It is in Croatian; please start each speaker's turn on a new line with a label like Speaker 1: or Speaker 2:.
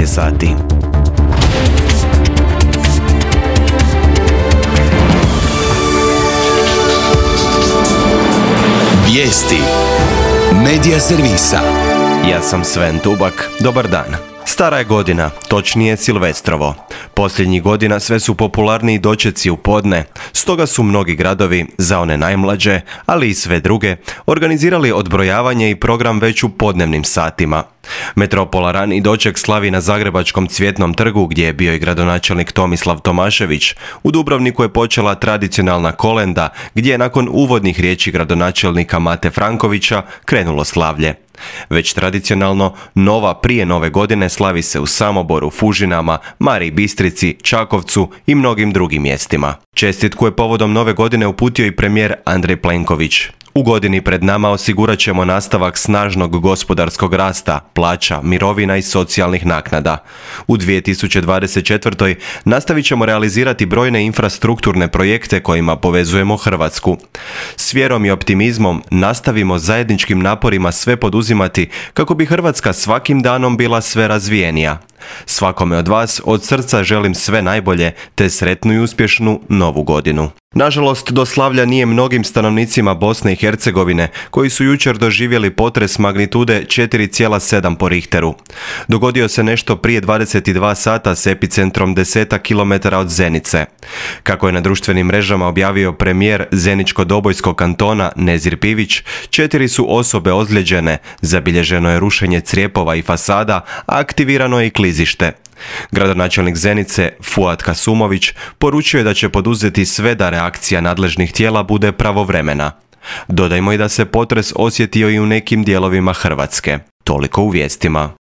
Speaker 1: je sati.
Speaker 2: Vijesti Medija servisa.
Speaker 1: Ja sam Sven Tubak, dobar dan. Stara je godina, točnije Silvestrovo. Posljednjih godina sve su popularniji dočeci u podne, stoga su mnogi gradovi, za one najmlađe, ali i sve druge, organizirali odbrojavanje i program već u podnevnim satima. Metropola rani doček slavi na Zagrebačkom Cvjetnom trgu, gdje je bio i gradonačelnik Tomislav Tomašević. U Dubrovniku je počela tradicionalna kolenda, gdje je nakon uvodnih riječi gradonačelnika Mate Frankovića krenulo slavlje. Već tradicionalno, nova prije nove godine slavi se u Samoboru, Fužinama, Mariji Bistrici, Čakovcu i mnogim drugim mjestima. Čestitku je povodom nove godine uputio i premijer Andrej Plenković. U godini pred nama osigurat ćemo nastavak snažnog gospodarskog rasta, plaća, mirovina i socijalnih naknada. U 2024. nastavit ćemo realizirati brojne infrastrukturne projekte kojima povezujemo Hrvatsku. S vjerom i optimizmom nastavimo zajedničkim naporima sve poduzimati kako bi Hrvatska svakim danom bila sve razvijenija. Svakome od vas od srca želim sve najbolje te sretnu i uspješnu novu godinu. Nažalost, do slavlja nije mnogim stanovnicima Bosne i Hercegovine, koji su jučer doživjeli potres magnitude 4,7 po Richteru. Dogodio se nešto prije 22 sata s epicentrom 10 km od Zenice. Kako je na društvenim mrežama objavio premijer Zeničko-Dobojskog kantona Nezir Pivić, 4 su osobe ozlijeđene, zabilježeno je rušenje crijepova i fasada, a aktivirano je i klizište. Gradonačelnik Zenice, Fuad Kasumović, poručio je da će poduzeti sve da reakcija nadležnih tijela bude pravovremena. Dodajmo i da se potres osjetio i u nekim dijelovima Hrvatske. Toliko u vijestima.